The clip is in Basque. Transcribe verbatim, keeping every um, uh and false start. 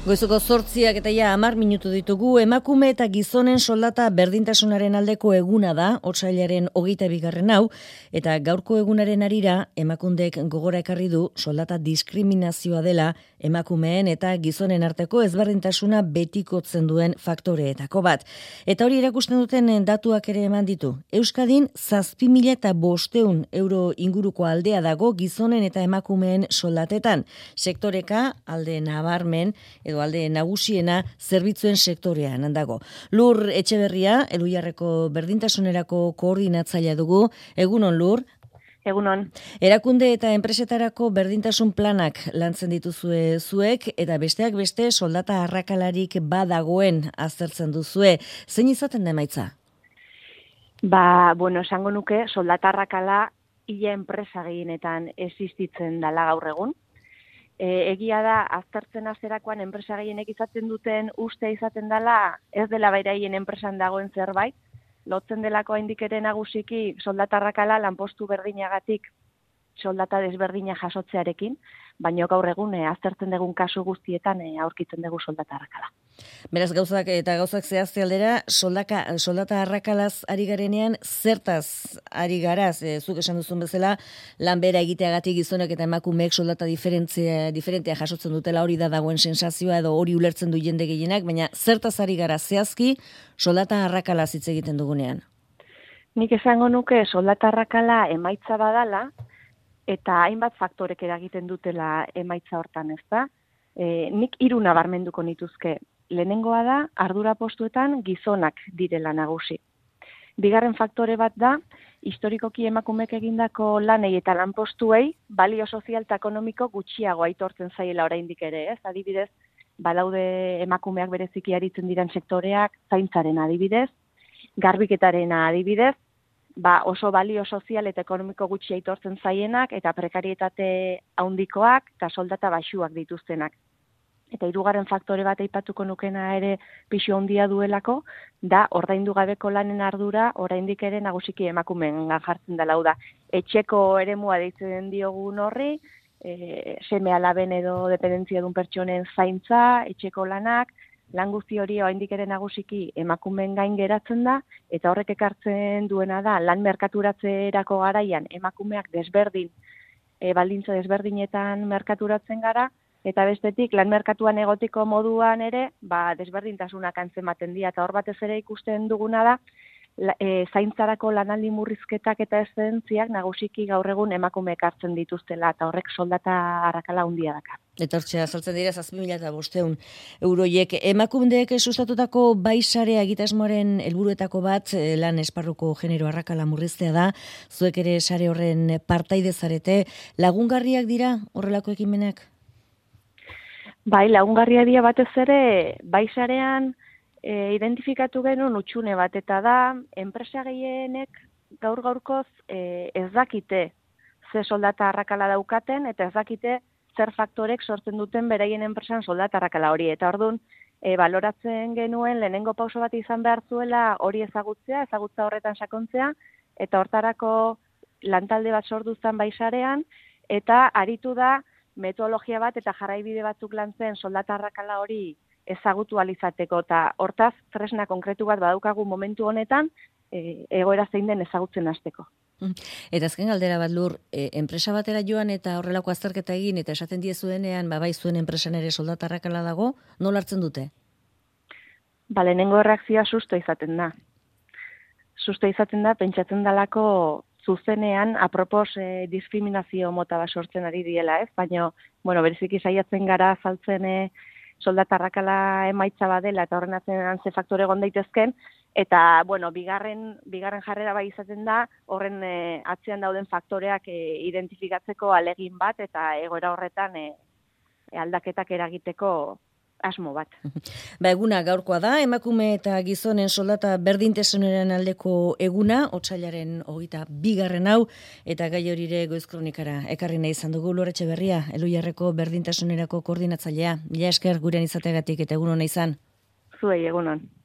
Goizuko zortziak eta ja hamar minutu ditugu. Emakume eta gizonen soldata berdintasunaren aldeko eguna da, otsailaren hogeita bigarren hau, eta gaurko egunaren arira emakundek gogora ekarri du soldata diskriminazioa dela emakumeen eta gizonen arteko ezberdintasuna betikotzen duen faktoreetako bat. Eta hori erakusten duten datuak ere eman ditu. Euskadin zazpi mila eta bosteun euro inguruko aldea dago gizonen eta emakumeen soldatetan. Sektoreka alde nabarmen edo alde nagusiena zerbitzuen sektorean dago. Lur Etxeberria, Elhuyarreko berdintasunerako koordinatzailea dugu. Egunon, Lur. Egunon. Erakunde eta enpresetarako berdintasun planak lantzen dituzue zuek, eta besteak beste soldata arrakalarik badagoen aztertzen duzue. Zein izaten da emaitza? Ba, bueno, esango nuke soldata arrakala ia enpresa gehienetan existitzen dela gaur egun. E, egia da, aztertzen azterakoan enpresa gehienek izaten duten uste izaten dela, ez dela beraien enpresan dagoen zerbait, lotzen delako haindik ere nagusiki soldata arrakala lanpostu berdinagatik soldata desberdina jasotzearekin, baina gaur egun e, aztertzen dugun kasu guztietan e, aurkitzen dugu soldata arrakala. Beraz, gauzak eta gauzak zehazte aldera, soldaka, soldata arrakalaz ari garenean, zertaz ari garaz, e, zuk esan duzun bezala, lan bera egiteagatik gizonek eta emakumeek soldata diferentzia, diferentea jasotzen dutela, hori da dagoen sensazioa edo hori ulertzen du jende gehienak, baina zertaz ari gara zehazki soldata arrakalaz hitz egiten dugunean? Nik esango nuke soldata arrakala emaitza badala, eta hainbat faktorek eragiten dutela emaitza hortan, ez da? E, nik hiru nabarmenduko nituzke. Lehenengoa da, ardura postuetan gizonak direla nagusi. Bigarren faktore bat da, historikoki emakumek egindako lanei eta lanpostuei balio sozial eta ekonomiko gutxiago aitortzen zaiela oraindik ere, ez? Adibidez, badaude emakumeak bereziki aritzen diren sektoreak, zaintzaren adibidez, garbiketaren adibidez, ba oso balio sozial eta ekonomiko gutxi aitortzen zaienak eta prekarietate handikoak eta soldata baxuak dituztenak. Eta hirugarren faktore bat aipatuko nukena ere pisu handia duelako, da ordaindu gabeko lanen ardura oraindik ere nagusiki emakumeengan jartzen dela, hau da. Etxeko eremua deitzen diogun horri, e, seme alaben edo dependentzia dun pertsonen zaintza, etxeko lanak, lan guzti hori oraindik ere nagusiki emakumeen gain geratzen da, eta horrek ekartzen duena da lan merkaturatzerako garaian emakumeak desberdin, e, baldintza desberdinetan merkaturatzen gara, eta bestetik lan merkatuan egotiko moduan ere, ba, desberdintasunak antzematen dira, eta hor batez ere ikusten duguna da, la, e, zaintzarako lanaldi murrizketak eta eszedentziak nagusiki gaur egun emakumeek hartzen dituztela, eta horrek soldata arrakala handia daka. Eta hortxe, azaltzen dira, zazpi mila eta bosteun euroiek. Emakundeek sustatutako baisarea egitasmoaren helburuetako bat, lan esparruko genero arrakala murriztea da, zuek ere sare horren partaide zarete, lagungarriak dira horrelako ekimenak? Bai, lagungarria dira batez ere, baisarean e, identifikatu genuen utxune bat, eta da, enpresa gehienek gaur gaurkoz e, ez dakite ze soldata arrakala daukaten, eta ez dakite zer faktorek sortzen duten beraien enpresan soldata arrakala hori. Eta orduan, e, baloratzen genuen lehenengo pauso bat izan behar zuela hori ezagutzea, ezagutza horretan sakontzea, eta hortarako lantalde bat sorduztan baisarean, eta aritu da metodologia bat eta jarraibide batzuk lantzen soldata arrakala hori ezagutu alizateko, eta hortaz tresna konkretu bat badaukagu momentu honetan, e, egoera zein den ezagutzen hasteko. Eta azken galdera bat, Lur, e, enpresa batera joan eta horrelako azterketa egin eta esaten diezuenean, ba, bai zuen enpresan ere soldata arrakala dago, nola hartzen dute? Ba, lehenengo reakzioa susto izaten da. Susto izaten da, pentsatzen dalako zuzenean, apropos eh, diskriminazio mota bat sortzen ari diela, ez? Baina, bueno, bereziki saiatzen gara azaltzen eh, soldata arrakala emaitza badela eta horren atzean ze faktore egon daitezken, eta, bueno, bigarren, bigarren jarrera bai izaten da, horren eh, atzean dauden faktoreak eh, identifikatzeko alegin bat, eta egoera horretan eh, aldaketak eragiteko asmo bat. Ba, eguna gaurkoa da, emakume eta gizonen soldata berdintasunaren aldeko eguna, otsailaren hogeita bigarren hau, eta gai horire Goiz Kronikara ekarri nahi izan dugu. Lur Etxeberria, Elhuyarreko berdintasunerako koordinatzailea. Mila esker gurean izateagatik eta egun hona izan. Zuei, egunon.